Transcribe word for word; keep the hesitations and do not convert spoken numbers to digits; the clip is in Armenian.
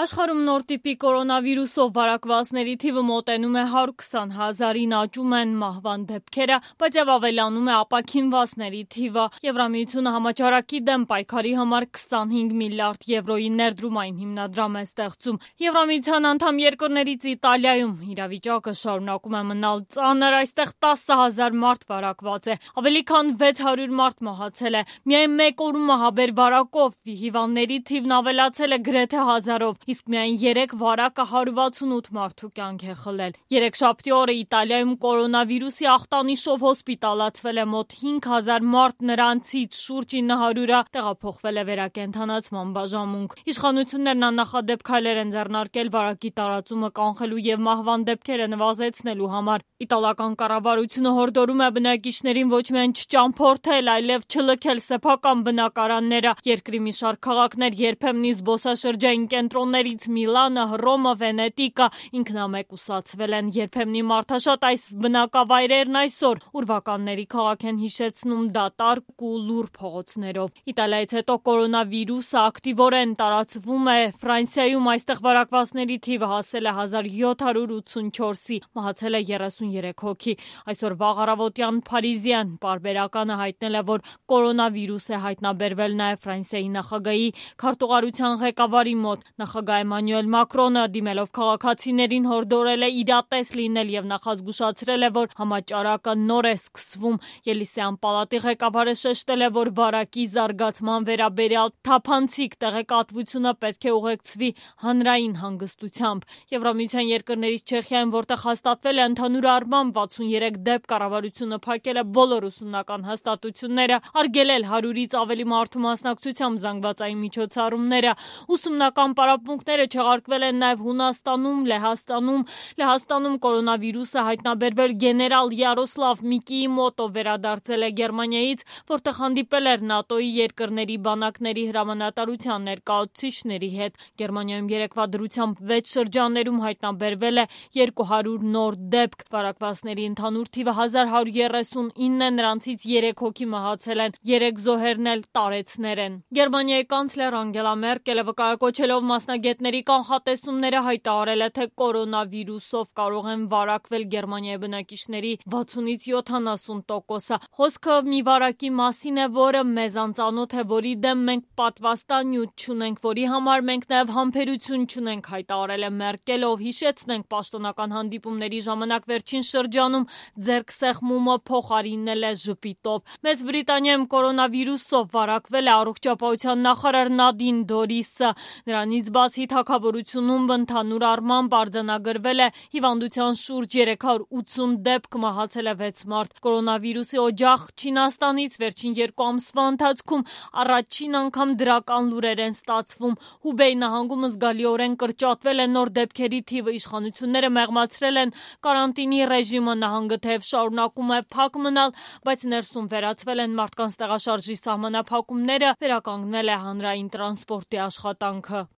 Աշխարհում նոր տիպի կորոնավիրուսով վարակվածների թիվը մոտենում է հարյուր քսան հազարին, աճում են մահվան դեպքերը, բայց եւ ավելանում է ապաքինվածների թիվը։ Եվրամիությունը համաճարակի դեմ պայքարի համար քսանհինգ միլիարդ եվրոյի ներդրումային հիմնադրամ է ստեղծում։ Եվրամիության անդամ երկրներից Իտալիայում իրավիճակը շարունակում է մնալ ծանր, այստեղ տասը հազար մարդ վարակված է, ավելի քան վեց հարյուր մարդ մահացել է։ Միայն մեկ օրում ահաբեր վարակով հիվանդների թիվն ավելացել է գրեթե հազարով, իսկ միայն երեք վարակը հարյուր վաթսունութ մարդու կյանք է խլել։ Երեքշաբթի օրը Իտալիայում կորոնավիրուսի ախտանիշով հոսպիտալացվել է մոտ հինգ հազար մարդ, նրանցից շուրջ ինը հարյուրը տեղափոխվել է վերակենդանացման բաժանմունք։ Իշխանություններն աննախադեպ քայլեր են ձեռնարկել վարակի տարածումը կանխելու եւ մահվան դեպքերը նվազեցնելու համար։ Իտալական կառավարությունը հորդորում է բնակիչներին ոչ միայն չճամփորդել, այլև չլքել սեփական բնակարանները։ Երկրի մի շարք քաղաքներ, երբեմնի զբոսաշրջային կենտրոններից Միլանը, Հռոմը, Վենետիկը ինքնամեկուսացվել են։ Երբեմնի մարդաշատ այս բնակավայրերն այսօր ուրվականների քաղաք են հիշեցնում դատարկ ու լուռ փողոցներով։ Իտալիայից հետո կորոնավիրուսը ակտիվորեն տարածվում է Ֆրանսիայում, այստեղ վարակվածների թիվը հասել է հազար յոթ հարյուր ութսունչորսի, մահացել է երեսունյուրեք հոգի։ Այսօր վաղ առավոտյան Փարիզյան պարբերականը հայտնել է, որ կորոնավիրուս է հայտնաբերվել նաև Ֆրանսիայի նախագահի քարտուղարության ղեկավարի մոտ։ Նախագահ Էմանուել Մակրոնը դիմելով քաղաքացիներին հորդորել է իրատես լինել եւ նախազգուշացրել է, որ համաճարակը նոր է սկսվում։ Ելիսեյան պալատի ղեկավարը շեշտել է, որ վարակի զարգացման վերաբերյալ թափանցիկ տեղեկատվությունը պետք է ուղեկցվի հանրային հանգստությամբ։ Եվրամիության երկրներից Չեխիայում, որտեղ հաստատվել է ընդհանուր առմամբ վաթսունյերեք դեպք, կառավարությունը փակել է բոլոր ուսումնական հաստատությունները, արգելել հարյուրից ավելի մարդու մասնակցությամբ զանգվածային միջոցառումները։ Ուսումնական պարապմունքները չեղարկվել են նաև Հունաստանում, Լեհաստանում։ Լեհաստանում կորոնավիրուսը հայտնաբերվել գեներալ Յարոսլավ Միկիի մոտ, ով վերադարձել է Գերմանիայից, որտեղ հանդիպել էր ՆԱՏՕ-ի երկրների բանակների հրամանատարության ներկայացուցիչների հետ։ Գերմանիայում երեկվա դրությամբ վեց շրջաններում հայտնաբերվել է երկու հարյուր նոր դեպք։ Վարակվածների ընդհանուր թիվը հազար հարյուր երեսունինն է, նրանցից երեք հոգի մահացել են, երեք զոհերն էլ տարեցներ են։ Գերմանիայի կանցլեր Անգելա Մերկելը վկայակոչելով մասնագետների կանխատեսումները հայտարարել է, թե կորոնավիրուսով կարող են վարակվել Գերմանիայի բնակիչների վաթսունից յոթանասուն տոկոսը։ Խոսքը մի վարակի մասին է, որը մեզ անծանոթ է, որի դեմ մենք պատվաստանյութ չունենք, որի համար մենք նաև համբերություն չունենք, հայտարարել է Մերկելը, ով հիշեցնենք պաշտոնական հանդիպումների ժամանակ վերջին շրջանում ձեռք սեղմումը փոխարինել է ժպիտով։ Մեծ Բրիտանիայում կորոնավիրուսով վարակվել է առողջապահության նախարար Նադին Դորիսը։ Նրանից բացի թագավորությունում ընդհանուր առմամբ արձանագրվել է հիվանդության շուրջ երեք հարյուր ութսուն դեպք, մահացել է վեց մարդ։ Կորոնավիրուսի օջախ Չինաստանից վերջին երկու ամսվա ընթացքում առաջին անգամ դրական լուրեր են ստացվում։ Հուբեյ նահանգում զգալիորեն կրճատվել է նոր դեպքերի թիվը, իշխանությունները մեղմացրել են կարանտինի ռեժիմը, նահանգը թեև շարունակում է փակ մնալ, բայց ներսում վերացվել են մարդկանց տեղաշարժի սահմանափակումները, վերականգնել է հանրային տրանսպորտի աշխատանքը։